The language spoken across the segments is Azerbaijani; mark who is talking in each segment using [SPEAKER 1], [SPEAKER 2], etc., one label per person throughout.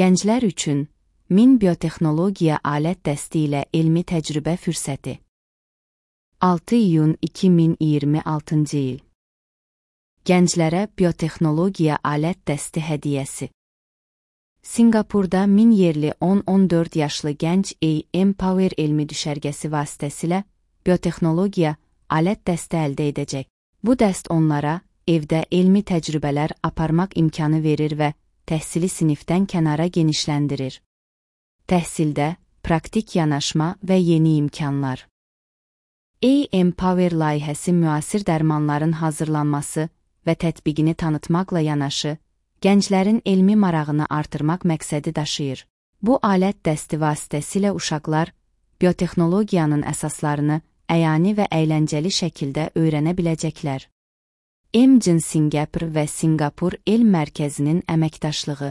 [SPEAKER 1] Gənclər üçün 1000 biotexnologiya alət dəsti ilə elmi təcrübə fürsəti. 6 iyun 2026 il. Gənclərə biotexnologiya alət dəsti hədiyyəsi. Singapurda 1000 yerli 10-14 yaşlı gənc Empower elmi düşərgəsi vasitəsilə biotexnologiya alət dəsti əldə edəcək. Bu dəst onlara evdə elmi təcrübələr aparmaq imkanı verir və təhsili sinifdən kənara genişləndirir. Təhsildə praktik yanaşma və yeni imkanlar. Empower layihəsi müasir dərmanların hazırlanması və tətbiqini tanıtmaqla yanaşı, gənclərin elmi marağını artırmaq məqsədi daşıyır. Bu alət dəsti vasitəsilə uşaqlar biotexnologiyanın əsaslarını əyani və əyləncəli şəkildə öyrənə biləcəklər. EMGen Singapur və Singapur Elm Mərkəzinin əməkdaşlığı.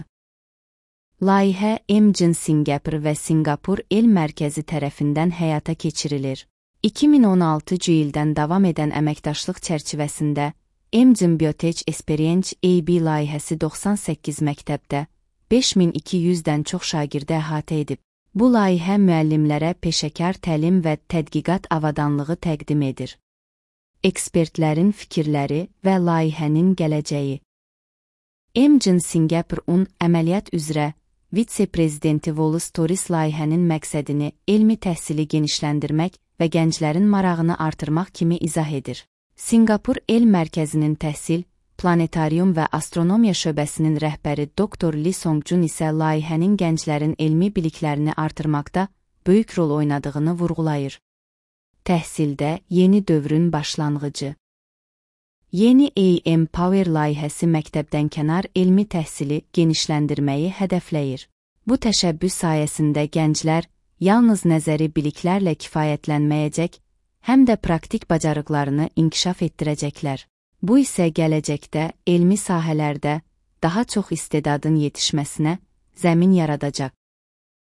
[SPEAKER 1] Layihə EMGen Singapur və Singapur Elm Mərkəzi tərəfindən həyata keçirilir. 2016 ildən davam edən əməkdaşlıq çərçivəsində EMGen Biotech Experience AB layihəsi 98 məktəbdə 5200-dən çox şagirdə əhatə edib. Bu layihə müəllimlərə peşəkar təlim və tədqiqat avadanlığı təqdim edir. Ekspertlərin fikirləri və layihənin gələcəyi. EMGen Singapurun əməliyyat üzrə vitse-prezidenti Wallace Torres layihənin məqsədini elmi təhsili genişləndirmək və gənclərin marağını artırmaq kimi izah edir. Singapur Elm Mərkəzinin təhsil, planetarium və astronomiya şöbəsinin rəhbəri Dr. Lee Song-jun isə layihənin gənclərin elmi biliklərini artırmaqda böyük rol oynadığını vurğulayır. Təhsildə yeni dövrün başlanğıcı. Yeni Empower layihəsi məktəbdən kənar elmi təhsili genişləndirməyi hədəfləyir. Bu təşəbbüs sayəsində gənclər yalnız nəzəri biliklərlə kifayətlənməyəcək, həm də praktik bacarıqlarını inkişaf etdirəcəklər. Bu isə gələcəkdə elmi sahələrdə daha çox istedadın yetişməsinə zəmin yaradacaq.